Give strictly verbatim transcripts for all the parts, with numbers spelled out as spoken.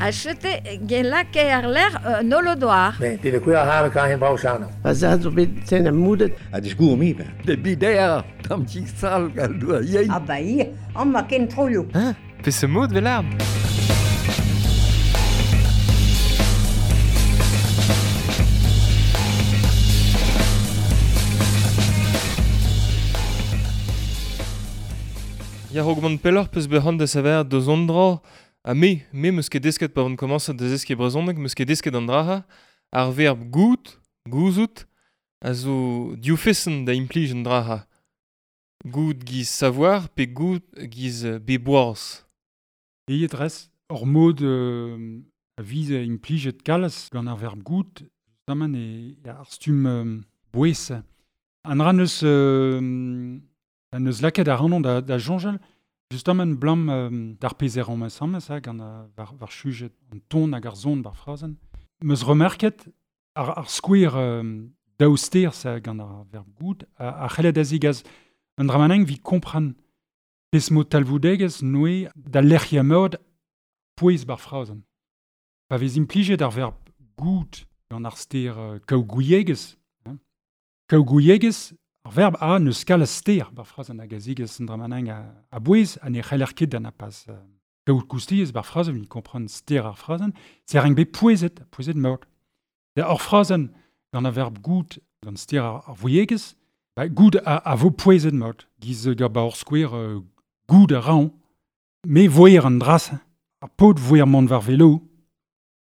A chete gen lake ar ler euh, nolodoar. Ne, de kuer har kan hen brau. Pa za zo bet ten a moudet. A disgour mi ben. De bider, tam ti sal gal doa yein. Ah ba ir, an ma ken troio. Hein? Pe se mod vel arm? Ya rog mont pelloc'h peus bet da saver deus an dra, ha me, me meus ket desket pa vont komañset da zeskiñ brezhoneg, meus ket desket an draha, ar verb gout, gouzout, a zo div feson da implij an draha. Gout giz savoir pe gout giz beboaz. Eiet res, ur mod euh, a viz a implijet kalz gant ar verb gout, justement e ar stumm euh, bouez. An ra neus... Euh, An eus lakaet ar rannon da, da jonjal, justement blam euh, d'ar pezer an ensemble, ça, gant a, var, var chujet an ton hag ar zon bar frazen. Meus remerket ar, ar skouer euh, daouster, ça, gant ar verb gout, a, a c'hellet a zigaz an dramaneng vi kompran pes mo talvoudegez noe da lec'hia mod pouez bar frazen. Pa vez implijet ar verb gout gant ar ster euh, kaougouiegez, hein. Kaougouiegez, ar verb a neus kal a ster bar frazen hag a zigez an dramaneng a, a bouez a ne c'heller ket da na pas euh, kaout koustiez bar frazen, vi kompran ster ar frazen, se ar bet pouezet, pouezet mort. Da ar frazen gant ar verb gout gant ster ar, ar vouiegez, ba, gout a, a vo pouezet mort, giz gant ba ur skouer euh, gout a raon, me voer an dras, ar paotr voer mont war velo,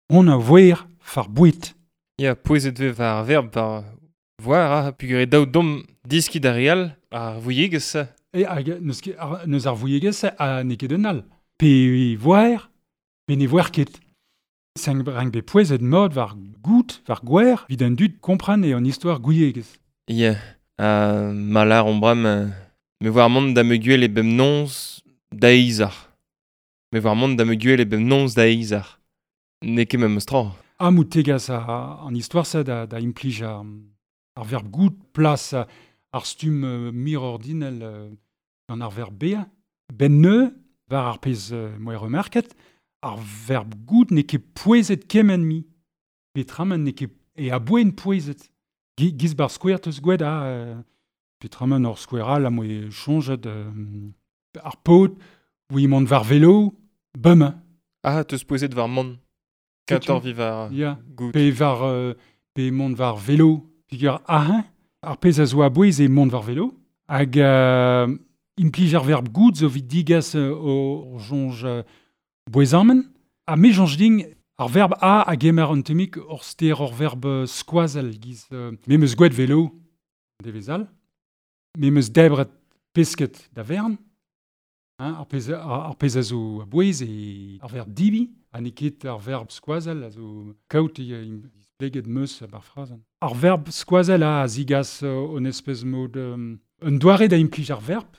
on a voer far bouet. Ya, pouezet ve war ar verb war voir, ha, pugur e daou dom diski da real ar vouiegez. E hag neus, ket, ar, neus ar vouiegez a n'eo ket un all. Pe voer, pe ne voer ket. Sen rang bet pouezet mod war gout, war gwer, vid an dud kompran e an istor gouiegez. Ya, uh, malar on bram, euh, me voar mont da me guel e bem nonz da eizar. Me voar mont da me guel e bem nonz da eizar. N'eo ket memes tra. Ha mout tegas a, an istor sa da, da implij ar, ar verb gout plas ar stumm euh, mir ordinel euh, gant ar verb bea. Ben neu, war ar pezh euh, moe remerket, ar verb gout n'eo ket pouezet kement mi. Petramen n'eo ket e a boen pouezet. Gi, giz bar skouer teus gwed a euh, petramen ur skouer all a moe chonjet euh, ar paotr, oui mont war velo, bum. Ah, teus pouezet war mont. Kator vi war Ya. gout. Pe war, euh, pe mont war velo. Pigur ahin, ar pezh a zo a bouez e mont war velo. Hag euh, implij ar verb gout zo vit digas euh, o jonj euh, bouezamen. Ha me jonj ding ar verb a a gemer an temik ur ster ur verb skoazel giz. Euh, me meus gwet velo devezal. Me meus debret pesket da vern. Hein, ar pezh, ar, ar pezh a zo a bouez e ar verb dibi. Ha n'eo ket ar verb skoazel a zo kaout e displeget meus bar frazen. Ar verb skoazel a zigas euh, un espèce mod euh, un doare da implij ar verb,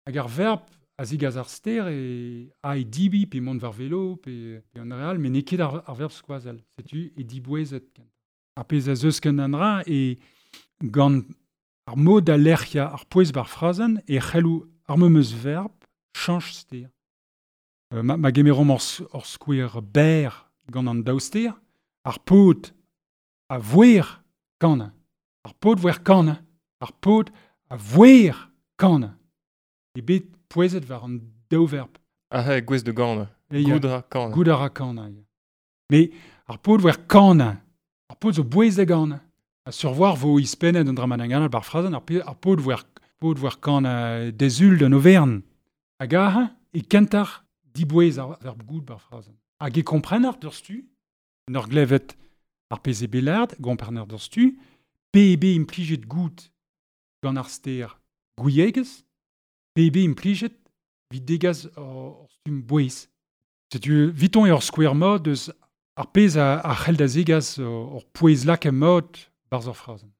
hag ar verb a zigas ar ster e a e dibi pe mont war velo pe, pe an real, met n'eo ket ar, ar verb skoazel. Setu e dibouezet kent. Ar pezh a zeus ken an ra e gant ar mod a lec'hia ar pouez bar frazen e c'hellou ar memeus verb chanch ster. Euh, ma, ma gemeromp ur, ur skouer ber gant an daou ster, ar paotr a voer kan. Ar paotr voer kan. Ar paotr a voer kan. E bet pouezet war an daou verb. Ah, ha, gwez de gant. E ya, Gout a ra kan. Gout a ra kan. Ya. Me ar paotr voer kan. Ar paotr zo bouez da gant. A survoir vo ispennet an dramananganal bar frazen, ar, pe, ar paotr voer, paotr voer kan euh, dezul d'an overn. Hag aha, e kentar dibouez ar verb gout bar frazen. Hag e komprener d'ur stu, n'ur glevet ar pezh e belard, gomprener d'ur stu, P E B implijet gout gant ar ster gouiegez, P E B implijet vid degaz ur stumm bouez. Setu viton e ur skouer mod eus ar pezh a, a c'hell da zegaz ur pouez lak a mod barz ur frazen.